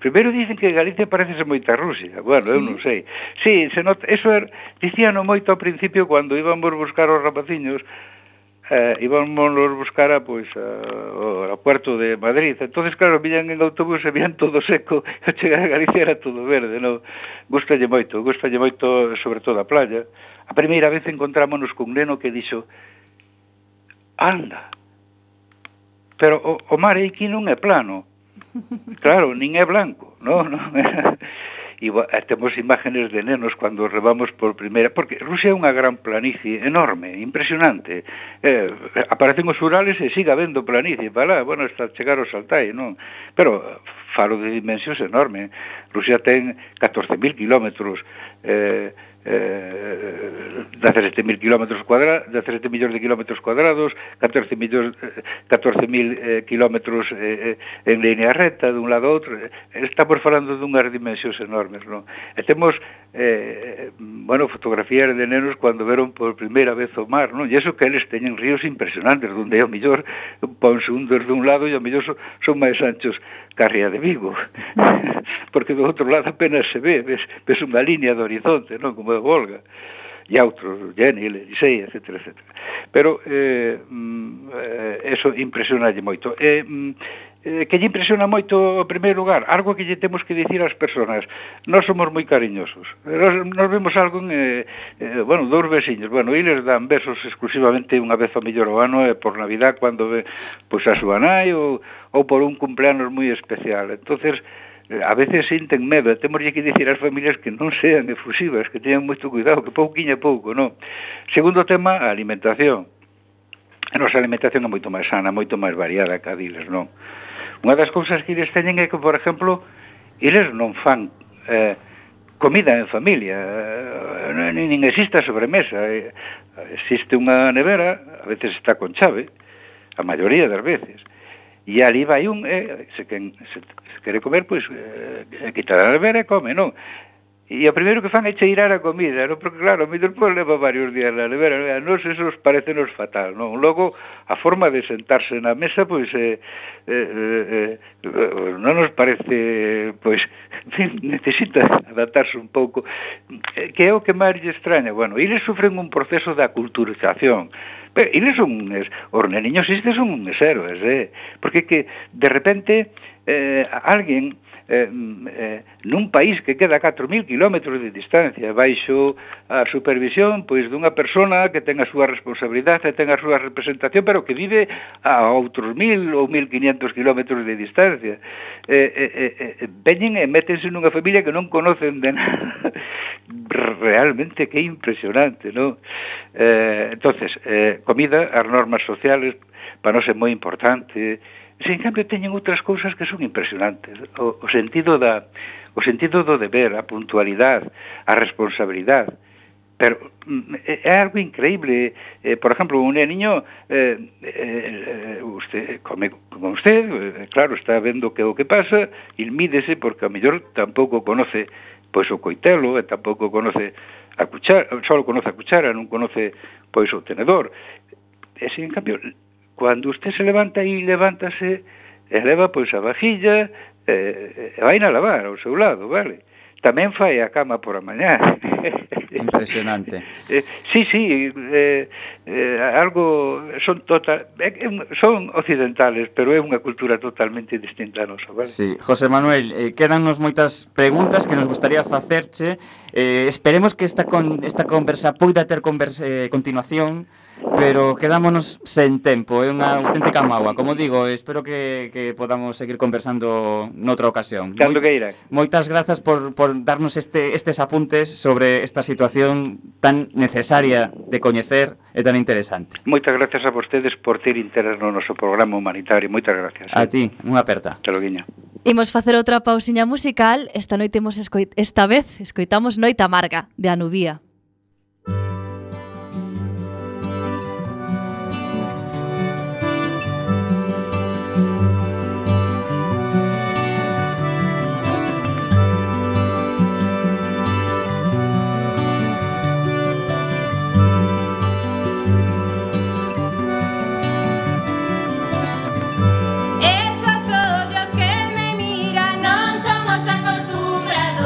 Primeiro dicen que Galicia parece ser moita Rusia. Bueno, eu non sei. Sí, se nota, eso dicíano moito ao principio cando íbamos buscar os rapaciños, íbamos buscar pois, ao aeropuerto de Madrid. Entonces, claro, viñan en autobús e viñan todo seco, e chegar a Galicia era todo verde, non? Gustalle moito, sobre todo a playa. A primeira vez encontrámonos con un neno que dixo: anda, pero o mar aquí non é plano. Claro, nin é blanco, non? E temos imágenes de nenos cando rebamos por primeira, porque Rusia é unha gran planicie enorme, impresionante. Aparecen os Urales e siga habendo planicie para lá, bueno, hasta chegar aos Altai, non? Pero falo de dimensións enormes. Rusia ten 14.000 kilómetros, 17.000 kilómetros cuadrados, 17 millóns de kilómetros cuadrados, 14.000 kilómetros en línea recta dun lado a outro. Estamos falando dunhas dimensións enormes, non? E temos fotografías de nenos cando veron por primeira vez o mar, non? E iso que eles teñen ríos impresionantes, onde ao mellor ponse un desde un lado e ao mellor son máis anchos que a ría de Vigo, porque do outro lado apenas se ve, ves unha línea de horizonte, non? Como a Volga, e outros, Genil, Elisei, etc. Pero eso impresionalle moito. Que lle impresiona moito, en primeiro lugar, algo que lle temos que dicir ás persoas. Nós somos moi cariñosos. Nos vemos algo en, dous veciños. Eles dan besos exclusivamente unha vez ao mellor ao ano, por Navidad, cando ve pois a súa nai, ou por un cumpleanos moi especial. Entonces, a veces sinten medo, e temos que dicir ás familias que non sean efusivas, que teñan moito cuidado, que pouquiño a pouco, non? Segundo tema, a alimentación. A nosa alimentación é moito máis sana, moito máis variada que a diles, non? Unha das cousas que eles teñen é que, por exemplo, eles non fan comida en familia, nin existe a sobremesa. Existe unha nevera, a veces está con chave, a maioría das veces. E ali vai se quere comer, pois, quitar a nevera e come, non? E o primeiro que fan é cheirar a comida, non? Porque claro, o mellor leva varios días na nevera, a nos eso parecenos fatal, non? Logo, a forma de sentarse na mesa, pois, non nos parece, pois, necesita adaptarse un pouco, que é o que máis lle extraña. Eles sufren un proceso de aculturización, pero eles son os neniños estes son uns héroes, porque que de repente alguén nun país que queda a 4.000 kilómetros de distancia baixo a supervisión pois dunha persona que ten a súa responsabilidade e ten a súa representación, pero que vive a outros 1.000 ou 1.500 kilómetros de distancia, veñen e métense nunha familia que non conocen de nada. Realmente que impresionante, non? Entonces, comida, as normas sociales para nós é moi importante. En cambio, teñen outras cousas que son impresionantes. O sentido do deber, a puntualidade, a responsabilidade. Pero é algo increíble. Por exemplo, un niño, usted come con usted, claro, está vendo que o que pasa, e mídese, porque a mellor tampouco conoce pois o coitelo, e tampouco conoce a cuchara, só conoce a cuchara, non conoce pois o tenedor. E, en cambio, cando usted se levanta e levántase, e leva pois a vajilla, e vai na lavar ao seu lado, vale? Tamén fai a cama por a mañá. Impresionante. Sí, algo son occidentales, pero é unha cultura totalmente distinta a nosa, vale? Sí, José Manuel, quédanos moitas preguntas que nos gustaría facerche. Esperemos que esta conversa poida ter continuación, pero quedámonos sen tempo, é unha auténtica mágoa. Como digo, espero que podamos seguir conversando noutra ocasión. Cando que irán. Moitas grazas por darnos estes apuntes sobre esta situación tan necesaria de coñecer e tan interesante. Moitas gracias a vostedes por ter interés no noso programa humanitario. Moitas gracias. A ti, unha aperta. Te lo guiño. Imos facer outra pausiña musical. Esta vez escoitamos Noite Amarga, de Anubía. Acostumbrados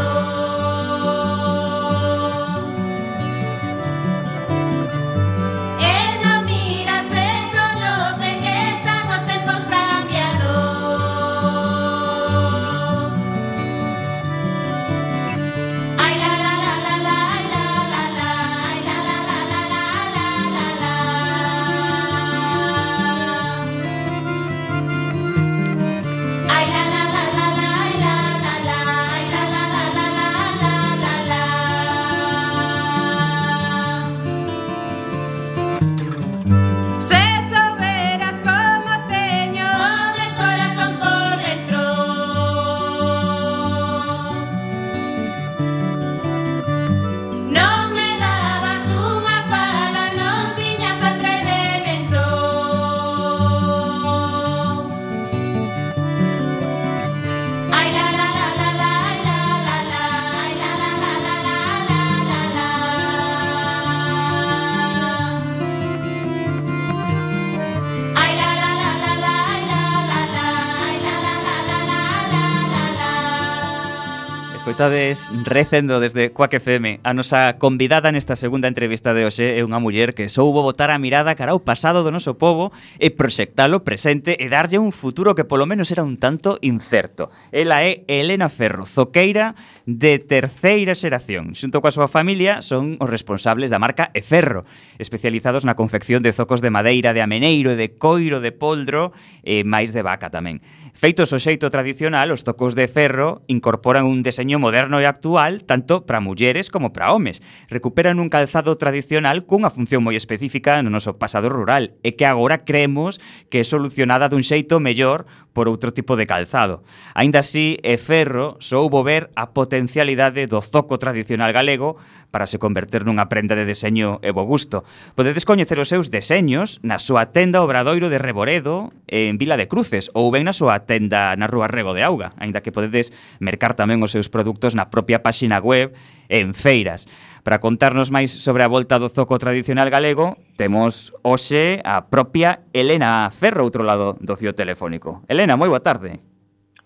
Escoitades recendo desde Quack FM. A nosa convidada nesta segunda entrevista de hoxe é unha muller que soubo botar a mirada cara ao pasado do noso pobo e proxectalo presente e darlle un futuro que polo menos era un tanto incerto. Ela é Elena Ferro, zoqueira de terceira xeración. Xunto coa súa familia son os responsables da marca Eferro, especializados na confección de zocos de madeira, de ameneiro, de coiro, de poldro e máis de vaca tamén. Feitos o xeito tradicional, os zocos de ferro incorporan un deseño moderno e actual tanto para mulleres como para homes. Recuperan un calzado tradicional cunha función moi específica no noso pasado rural e que agora creemos que é solucionada dun xeito mellor por outro tipo de calzado. Aínda así, Eferro soubo ver a potencialidade do zoco tradicional galego para se converter nunha prenda de deseño e bo gusto. Podedes coñecer os seus deseños na súa tenda Obradoiro de Reboredo en Vila de Cruces ou ben na súa tenda na Rúa Rego de Auga, aínda que podedes mercar tamén os seus produtos na propia páxina web en feiras. Para contarnos máis sobre a volta do zoco tradicional galego, temos hoxe a propia Elena Ferro, outro lado do fío telefónico. Elena, moi boa tarde.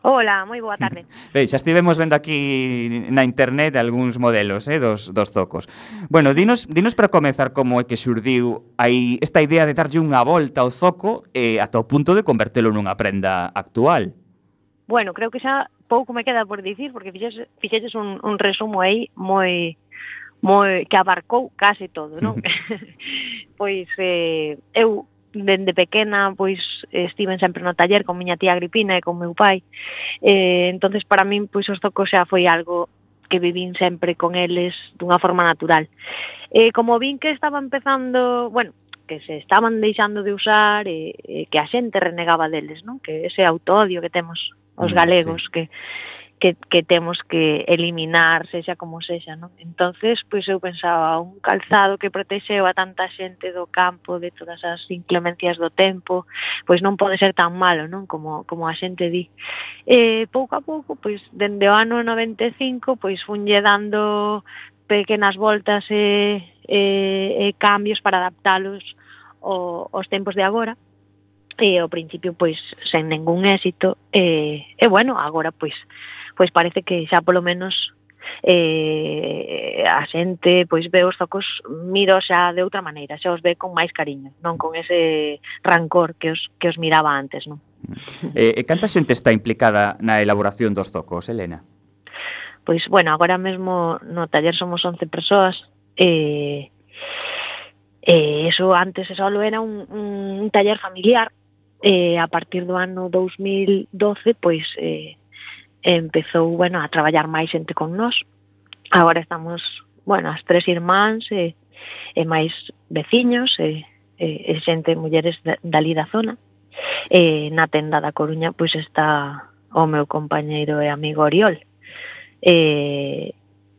Hola, moi boa tarde. Bem, xa estivemos vendo aquí na internet algúns modelos dos zocos. Bueno, dinos para comezar como é que xurdiu aí esta idea de darlle unha volta ao zoco ata o punto de convertelo nunha prenda actual. Bueno, creo que xa pouco me queda por dicir, porque fixeches un resumo aí moi que abarcou case todo, non? Pois eu dende pequena pois estiven sempre no taller con miña tía Agripina e con meu pai. Entonces para min pois os zocos xa foi algo que vivín sempre con eles dunha forma natural. Como vin que estaba empezando, bueno, que se estaban deixando de usar e que a xente renegaba deles, non? Que ese autoodio que temos os galegos, sí, que temos que eliminar, sexa como sexa, non? Entonces, pois eu pensaba, un calzado que protexeu a tanta xente do campo, de todas as inclemencias do tempo, pois non pode ser tan malo, non? Como a xente di. Pouco a pouco, pois, dende o ano 95, pois funlle dando pequenas voltas e cambios para adaptalos aos tempos de agora. E ao principio, pois, sen ningún éxito. Bueno, agora, pois parece que xa polo menos a xente pois ve os zocos, miro xa de outra maneira, xa os ve con máis cariño, non con ese rancor que os miraba antes, non? Canta xente está implicada na elaboración dos zocos, Elena? Pois, bueno, agora mesmo no taller somos 11 persoas eso antes só era un taller familiar. A partir do ano 2012, pois empezou, bueno, a traballar máis xente con nós. Agora estamos, bueno, as 3 irmáns e máis veciños e xente, mulleres dali da zona. Na tenda da Coruña, pois está o meu compañeiro e amigo Oriol.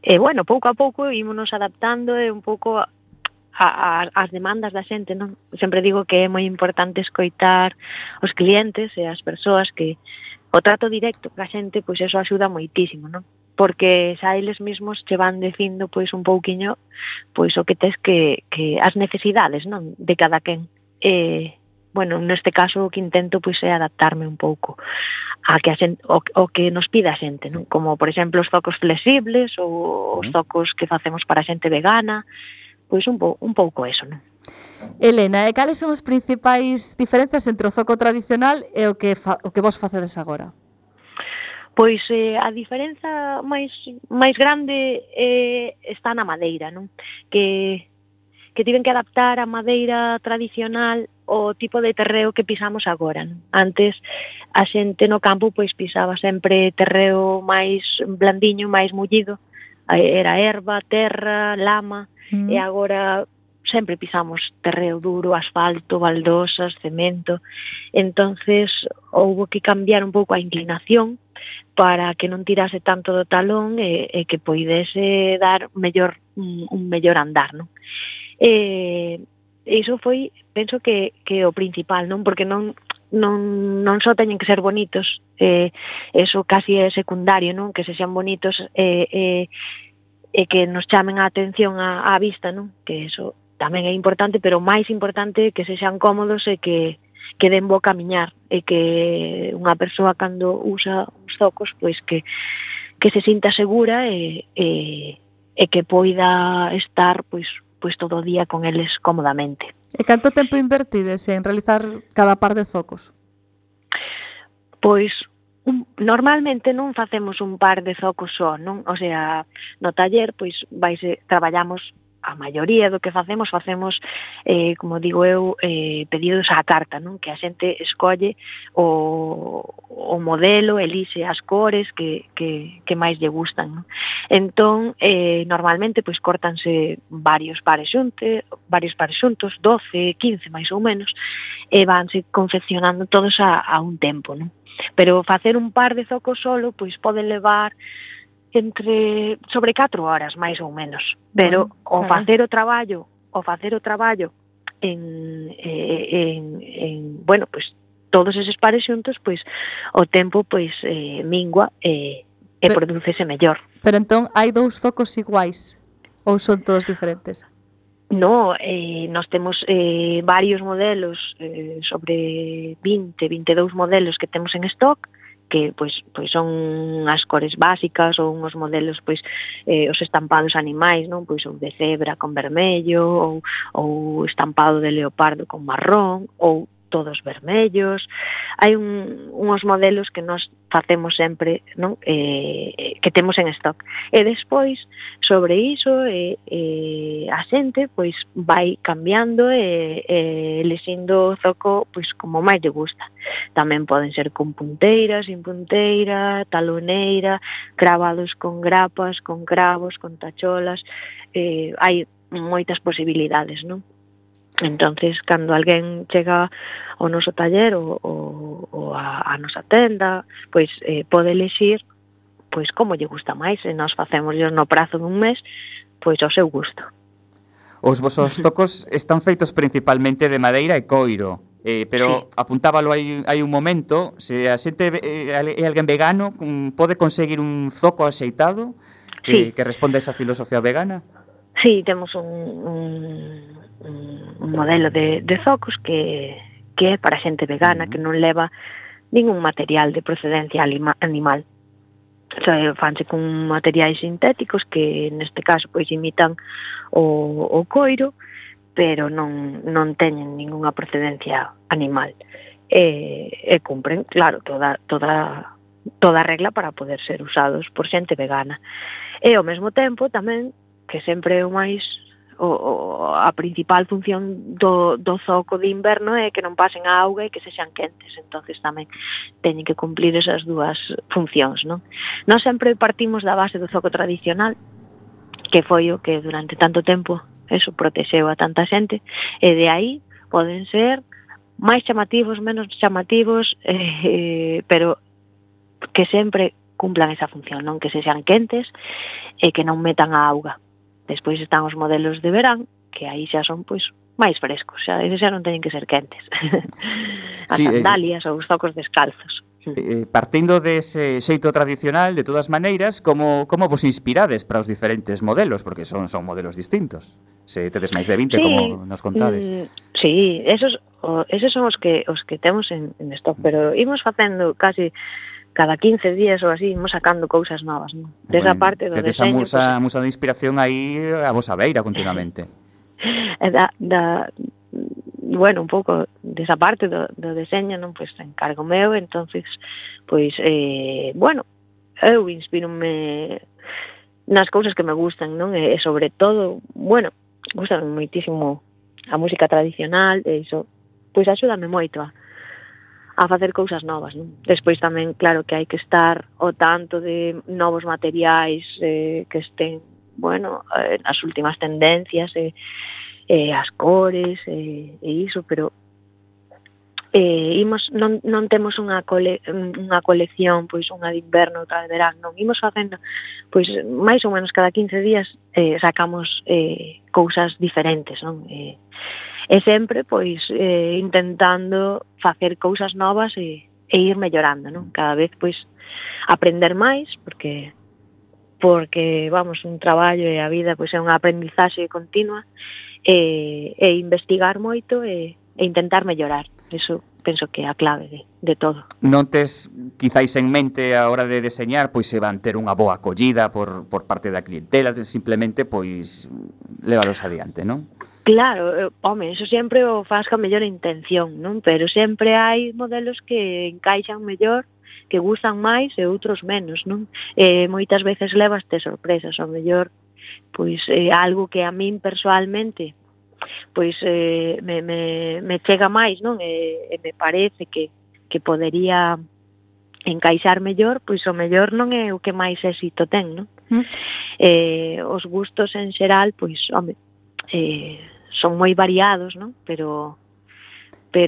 Bueno, pouco a pouco ímonos adaptando e un pouco as demandas da xente, non? Sempre digo que é moi importante escoitar os clientes e as persoas, que o trato directo ca xente, pois eso axuda moitísimo, non? Porque xa eles mesmos che van dicindo pois un pouquiño pois o que tes que as necesidades, non? De cada quen. Bueno, neste caso o que intento pois é adaptarme un pouco a que a xente, o que nos pide a xente, non? Como por exemplo os zocos flexibles ou os zocos que facemos para a xente vegana. Pois un pouco eso, non? Elena, e cales son as principais diferenzas entre o zoco tradicional e o que vos facedes agora? Pois a diferenza máis grande está na madeira, non? Que tiven que adaptar a madeira tradicional ao tipo de terreo que pisamos agora, non? Antes a xente no campo pois pisaba sempre terreo máis blandiño, máis mullido, era erva, terra, lama. E agora sempre pisamos terreo duro, asfalto, baldosas, cemento. Entonces houbo que cambiar un pouco a inclinación para que non tirase tanto do talón e que poidese dar un mellor andar, non? Iso foi, penso que o principal, non? Porque non só teñen que ser bonitos, eso casi é secundario, non? Que se xan bonitos e que nos chamen a atención á vista, non? Que eso tamén é importante, pero máis importante que sexan cómodos e que den bo camiñar, e que unha persoa cando usa uns zocos, pois que que se sinta segura e que poida estar pois todo o día con eles cómodamente. E canto tempo invertides en realizar cada par de zocos? Pois normalmente non facemos un par de zocos só, non? O sea, no taller pois traballamos a maioría do que facemos, como digo eu, pedidos á carta, non? Que a xente escolle o modelo, elixe as cores que máis lle gustan, non? Entón, normalmente pois córtanse varios pares xuntos, 12, 15 máis ou menos, e vanse confeccionando todos a un tempo, non? Pero facer un par de zocos solo pois pode levar sobre 4 horas máis ou menos, pero o facer o traballo en bueno, pois todos eses pares xuntos, pois o tempo pois mingua e prodúcese mellor. Pero entón hai 2 zocos iguais ou son todos diferentes? No, nós temos varios modelos, sobre 20, 22 modelos que temos en stock, que pois son as cores básicas ou uns modelos os estampados animais, non? Pois ou de cebra con vermello ou estampado de leopardo con marrón ou todos vermellos. Hai uns modelos que nós facemos sempre, non? Que temos en stock. E despois, sobre iso, a xente pois vai cambiando e elixindo o zoco pois como máis lle gusta. Tamén poden ser con punteira, sin punteira, taloneira, cravados con grapas, con cravos, con tacholas. Hai moitas posibilidades, non? Entonces, cando alguén chega ao noso taller ou a nosa tenda, pois pode elixir pois como lle gusta máis, e nós facémoslle no prazo dun mes pois ao seu gusto. Os vosos zocos están feitos principalmente de madeira e coiro, pero sí, apuntábalo hai un momento, se a xente é alguén vegano, pode conseguir un zoco axeitado que responda a esa filosofía vegana? Sí, temos un modelo de zocos que é para xente vegana, que non leva ningún material de procedencia animal. O sea, fanse con materiais sintéticos que neste caso pois imitan o coiro, pero non teñen ningunha procedencia animal. E cumpren, claro, toda a regla para poder ser usados por xente vegana. E ao mesmo tempo tamén, que sempre é o máis a principal función do zoco de inverno é que non pasen a auga e que sexan quentes, entonces tamén teñen que cumplir esas dúas funcións, non? Nós sempre partimos da base do zoco tradicional, que foi o que durante tanto tempo protexeu a tanta xente, e de aí poden ser máis chamativos, menos chamativos, pero que sempre cumplan esa función, non? Que sexan quentes e que non metan a auga. Despois están os modelos de verán, que aí xa son pois máis frescos, xa non teñen que ser quentes. As sandalias ou os zocos descalzos. Partindo dese xeito tradicional, de todas maneiras, como vos inspirades para os diferentes modelos? Porque son modelos distintos. Se tedes máis de 20, como nos contades. Sí, esos son os que temos en stock, pero imos facendo casi cada 15 días ou así, imos sacando cousas novas, non? Desa parte do deseño... Tedes a musa de inspiración aí a vosa beira continuamente. Bueno, un pouco desa parte do deseño, non? Pois encargo meu, entonces, pois, bueno, eu inspírome nas cousas que me gustan, non? E sobre todo, bueno, gustame moitísimo a música tradicional, e iso, pois axúdame moito a facer cousas novas, non? Despois tamén, claro, que hai que estar ao tanto de novos materiais que estén, bueno, nas últimas tendencias, as cores, e iso, pero non temos unha colección, pois unha de inverno, outra de verán, non, imos facendo, pois máis ou menos cada 15 días sacamos cousas diferentes, non? E sempre, pois, intentando facer cousas novas e ir mellorando, non? Cada vez, pois, aprender máis, porque vamos, un traballo e a vida, pois, é unha aprendizaxe continua, e investigar moito e intentar mellorar. Iso penso que é a clave de todo. Non tes quizáis en mente a hora de deseñar pois se van ter unha boa acollida por parte da clientela, simplemente pois lévalos adiante, non? Claro, home, eso sempre o faz ca mellor intención, non? Pero sempre hai modelos que encaixan mellor, que gustan máis e outros menos, non? Moitas veces levaste sorpresas, ao mellor, pois algo que a min persoalmente pois me chega máis, non? E me parece que podería encaixar mellor, pois o mellor non é o que máis éxito ten, non? Os gustos en xeral, pois, home, son moi variados, non? Pero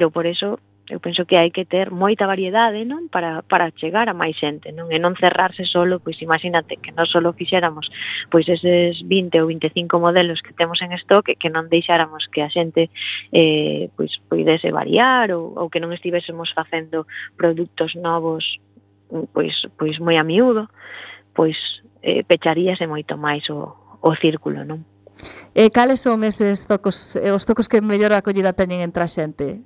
por eso eu penso que hai que ter moita variedade, non? Para chegar a máis xente, non? E non cerrarse solo, pois imagínate que non solo fixéramos pois eses 20 ou 25 modelos que temos en stock, que non deixáramos que a xente pois poidese variar ou que non estivésemos facendo produtos novos pois moi a miúdo, pois pecharíase moito máis o círculo, non? E cales son eses zocos, os zocos que mellor acollida teñen entre a xente?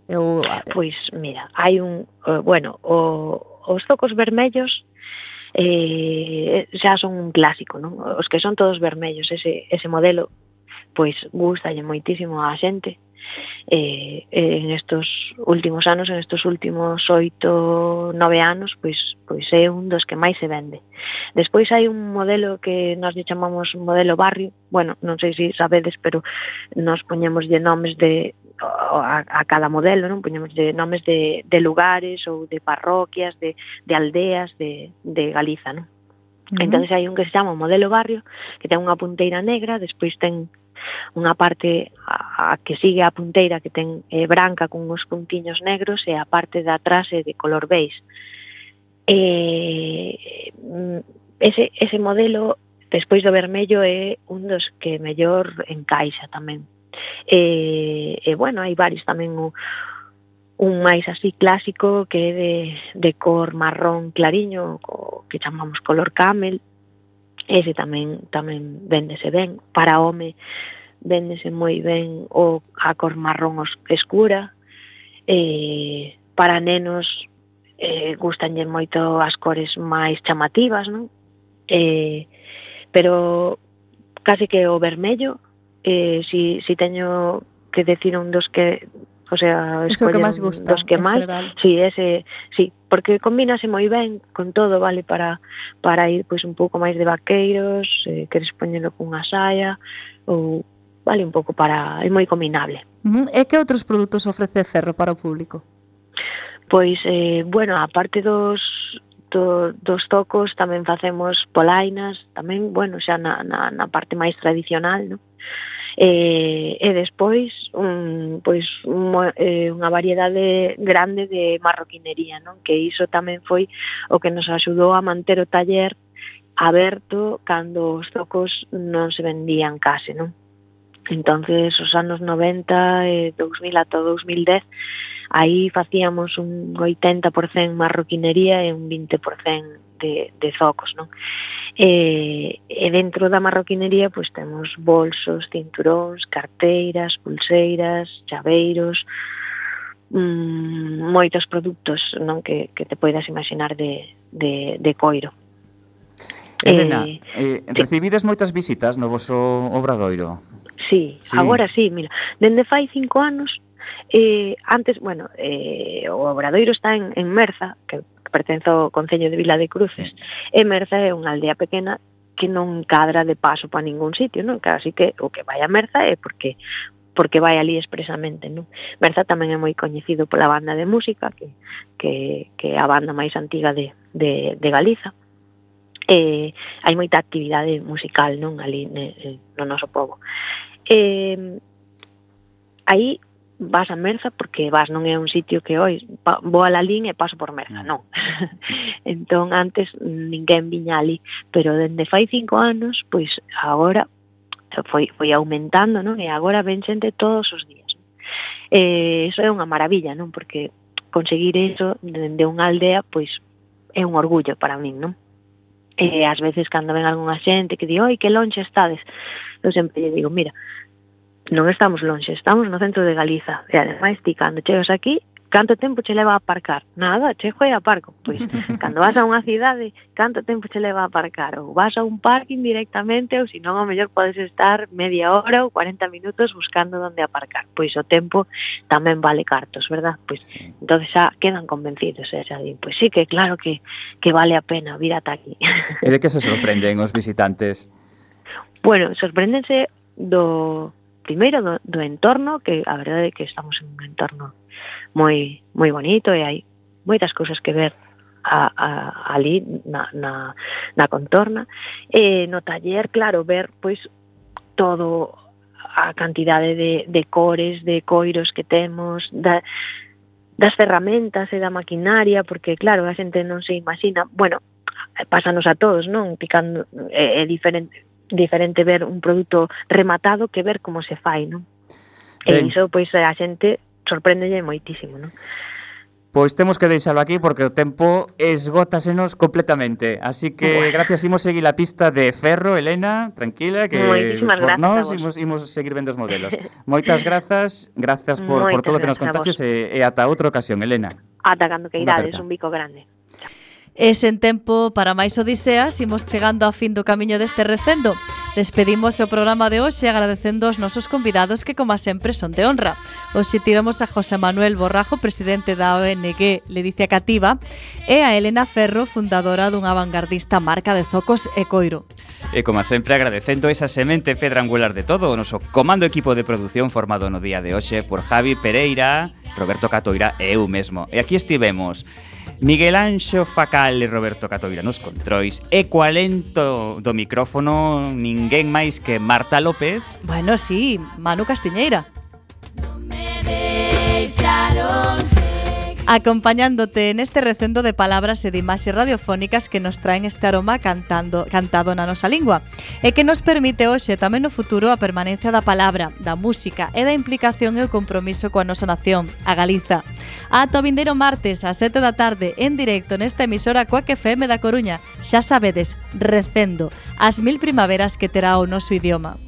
Pois, mira, hai os zocos vermellos xa son un clásico, non? Os que son todos vermellos, ese modelo, pois gustalle moitísimo á xente. En estos últimos anos, en estos últimos 8, 9 anos, pois é un dos que máis se vende. Despois hai un modelo que nós lle chamamos modelo barrio, bueno, non sei se sabedes, pero nós poñémoslle nomes a cada modelo, non? Poñémoslle nomes de lugares ou de parroquias, de aldeas de Galiza, non? Entonces hai un que se chama modelo barrio, que ten unha punteira negra, despois ten unha parte a que sigue a punteira que ten branca con uns puntiños negros e a parte de atrás é de color beige. Ese modelo, despois do vermello, é un dos que mellor encaixa tamén. Bueno, hai varios tamén, un máis así clásico que é de cor marrón clariño, que chamamos color camel. Ese tamén véndese ben. Para home véndese moi ben a cor marrón escura. Para nenos gustanlle moito as cores máis chamativas, non? Pero case que o vermello, si teño que decir un dos que, o sea, eso que máis gusta, dos que máis, sí, porque combínase moi ben con todo, vale, para ir pois un pouco máis de vaqueiros, queres poñelo cunha saia, ou vale un pouco é moi combinable. E que outros produtos ofrece Ferro para o público? Pois, bueno, a parte dos tocos tamén facemos polainas, tamén, bueno, xa na parte máis tradicional, non? E despois unha variedade grande de marroquinería, non? Que iso tamén foi o que nos axudou a manter o taller aberto cando os tocos non se vendían case, non? Entonces, os anos 90 e 2000 ata 2010, aí facíamos un 80% marroquinería e un 20% de zocos, non? E dentro da marroquinería pois temos bolsos, cinturóns, carteiras, pulseiras, chaveiros, moitos produtos, non, que te poidas imaginar de coiro. Elena, recibides moitas visitas no voso obradoiro? Sí, agora sí, mira, dende fai 5 anos, antes, bueno, o obradoiro está en Merza, que pertence ao concello de Vila de Cruces, e Merza é unha aldea pequena que non cadra de paso para ningún sitio, non? Así que o que vai a Merza é porque vai ali expresamente, non? Merza tamén é moi coñecido pola banda de música, que é a banda máis antiga de Galiza. Hai moita actividade musical, non? Ali no noso pobo. Aí vas a Merza porque non é un sitio que hoy vou a Lalín e paso por Merza, non. Entón antes ninguén viña ali, pero dende fai 5 anos, pois agora foi aumentando, non? E agora ven xente todos os días. Eso é unha maravilla, non? Porque conseguir eso de unha aldea, pois é un orgullo para min, non? Ás veces cando ven algunha xente que di, oi, que lonxe estades, eu sempre lle digo, mira, non estamos lonxe, estamos no centro de Galiza, e ademais ti cando chegas aquí canto tempo che leva a aparcar? Nada, chego e aparco. Pois, cando vas a unha cidade, canto tempo che leva a aparcar? Ou vas a un parking directamente, ou senón ao mellor podes estar media hora ou 40 minutos buscando onde aparcar. Pois o tempo tamén vale cartos, verdad? Pois, entonces xa quedan convencidos, xa din, pois sí que claro que vale a pena vir ata aquí. E de que se sorprenden os visitantes? Bueno, sorpréndense primeiro do entorno, que a verdade é que estamos en un entorno moi bonito e hai moitas cousas que ver ali na contorna. E no taller, claro, ver pois todo a cantidade de cores, de coiros que temos, das ferramentas e da maquinaria, porque claro, a xente non se imagina, bueno, pásanos a todos, non? Picando é diferente ver un produto rematado que ver como se fai, non? E iso, pois, a xente sorpréndelle moitísimo, non? Pois temos que deixalo aquí porque o tempo esgótasenos completamente. Así que, gracias, imos seguir a pista de ferro, Elena, tranquila, que por nós imos seguir vendo os modelos. Moitas grazas por todo o que nos contaches e ata outra ocasión, Elena. Ata cando que irades, un bico grande. E sen tempo para máis odiseas, imos chegando ao fin do camiño deste recendo. Despedimos o programa de hoxe agradecendo aos nosos convidados que, como sempre, son de honra. Hoxe tivemos a José Manuel Borrajo, presidente da ONG Ledicia Cativa, e a Elena Ferro, fundadora dunha vanguardista marca de zocos e coiro. E, como sempre, agradecendo esa semente pedra angular de todo o noso comando equipo de produción formado no día de hoxe por Javi Pereira, Roberto Catoira e eu mesmo. E aquí estivemos Miguel Anxo Facal e Roberto Catoira nos controis e coa lento do micrófono ninguén máis que Marta López. Bueno, sí, Manu Castiñeira. Acompañándote neste recendo de palabras e de imaxes radiofónicas que nos traen este aroma cantado na nosa lingua e que nos permite hoxe tamén no futuro a permanencia da palabra, da música e da implicación e o compromiso coa nosa nación, a Galiza. Ata o vindeiro martes a 7 da tarde en directo nesta emisora Coac FM da Coruña. Xa sabedes, recendo, as 1000 primaveras que terá o noso idioma.